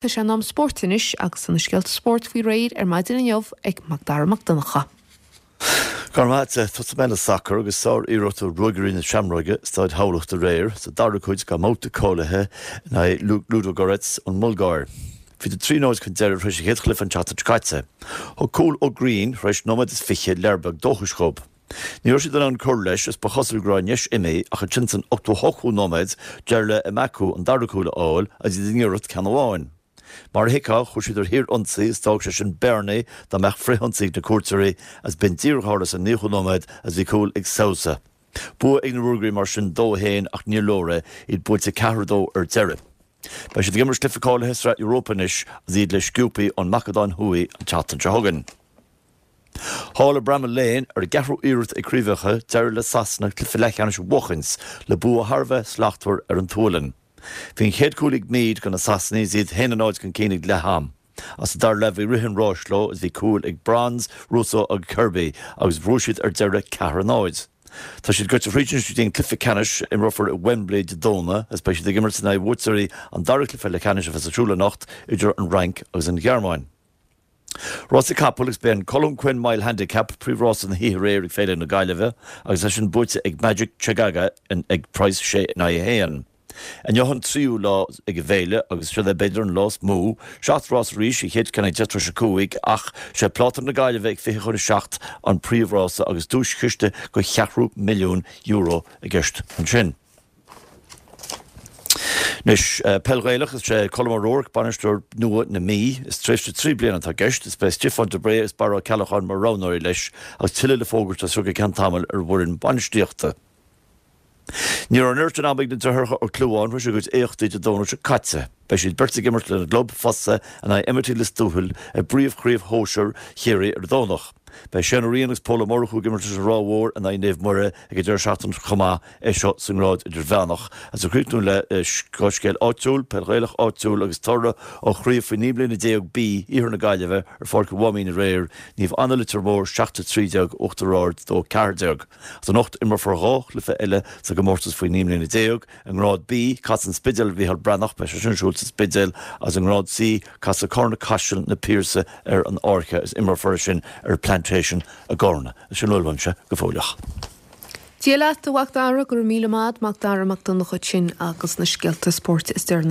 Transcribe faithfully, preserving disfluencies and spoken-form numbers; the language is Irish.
Tá sé in am spóirt anois agus na scéalta spóirt faoi réir ar maidin inniu ag Macdara Mac Donncha. Garmat tusa mé sacar agus sár iarracht Ruagairí na Seamróige Staid Thamhlachta aréir sa dara cuid dá mbabhta cáilithe in aghaidh Ludogorets ón mBulgáir. Bhí trí náid chun deireadh tar éis an chéad chluiche an tseachtain seo caite. Thug cúl ó Green tar éis nóiméad is fiche lear beag dóchais dóibh. Ní raibh siad in ann cur leis is ba chosúil go raibh an deis imithe ach ansin san ochtó hochtú nóiméad d'éirigh le Emakhu an dara cúl a fháil agus iad i ngiorracht ceann amháin. Mar a thuigfeá chuaigh siad ar shíorionsaí is d'fhág sé sin bearnaí dá mbeadh frithionsaí ag na cuairteoirí agus b'in díreach a tharla sa naochadú nóiméad agus bhí cúl ag Sousa. Bua ag na Ruagairí mar sin dó a haon ach níor leor é, iad buailte ceathair dó ar deireadh. Beidh siad ag imirt cluiche cáilithe Sraith Europa anois agus iad le Shkupi ón Macadóin Thuaidh an tseachtain seo chugainn. Thall i Bramall Lane ar a gceathrú iarracht ag craobhacha d'éirigh le Sasana cluiche leathcheannais a bhuachaint le bua thar a bheith slachtmhar ar an tSualainn. Bhí an chéad cúl ag Mead do na Sasanaigh is iad haon a náid chun cinn ag leath-am. Ach sa dara leath bhí rith an ráis leo is bhí cúil ag Bronze, Russo agus Kirby agus bhuaigh siad ar deireadh ceathair a náid. Tá siad gaibhte thríd anois go dtí an cluiche ceannais a imreofar i Wembley Dé Domhnaigh agus beidh siad ag imirt in aghaidh bhuaiteoirí an dara cluiche leathcheannais a bheas ar siúl anocht idir an Fhrainc agus an Ghearmáin. Rásaí capall agus b'é an Colm Quinn Mile Handicap príomhrása na hoíche aréir ag Féile na Gaillimhe agus é sin buaite ag Magic Chegaga ag praghas sé in aghaidh a haon. Inniu an tríú lá ag an bhféile agus seo é b'fhéidir an lá is mó, seacht rás arís, an chéad cheann ag deich tar éis a cúig ach sé Pláta na Gaillimhe ag fiche chun a seacht an príomhrása agus duaischiste de cheathrú milliún euro i gceist ansin. Anois peil Ghaelach is é Colm O'Rourke bainisteoir nua na Mí. Is tréimhse trí bliana atá i gceist, is beidh Stiofán de Bréagh agus Barra Ó Ceallacháin mar roghnóirí leis agus tuilleadh le fógairt as seo go ceann tamaill ar an bhfoireann bainistíochta. Ní raibh an oiread sin ama ag na deartháireacha Ó Clúmháin tar éis a gcuid éachtaí Dé Domhnaigh seo caite. Beidh siad beirt ag imirt lena gclub fosta in aghaidh M I T Lios Tuathail i bpríomhchraobh shóisir Chiarraí ar an Domhnach. Beidh Shane Ó Riain agus Pól Ó Murchú ag imirt leis an Ráth Mhór in aghaidh Naomh Muire ag an deireadh seachtaine chomh maith, é seo sa ngrád idirmheánach. Agus ag críochnú le dhá scéal áitiúil, peil Ghaelach áitiúil agus toradh ó chraobh faoi naoi mbliana déag B Iarthar na Gaillimhe ar Pháirc an Mháimín aréir, Naomh Anna Leitir Móir seacht a trí déag, Uachtar Ard dó a ceathair déag. Agus anocht imreofar dhá chluiche eile sa gcomórtas faoi naoi mbliana déag, i ngrád B, casfaidh an Spidéal ar Mhícheál Breathnach, beidh sé sin ar siúl sa Spidéal, agus i ngrád C, casfaidh Carna Caiseal Na Piarsaigh ar an Fháirche agus imreofar é sin ar Plantation i gCarna. Sin a bhfuil uaimse go fóilleach. Dia leat, a Mhac Dara, go raibh míle maith, Mac Dara Mac Donncha sin agus na scéalta spóirt is deireanaí.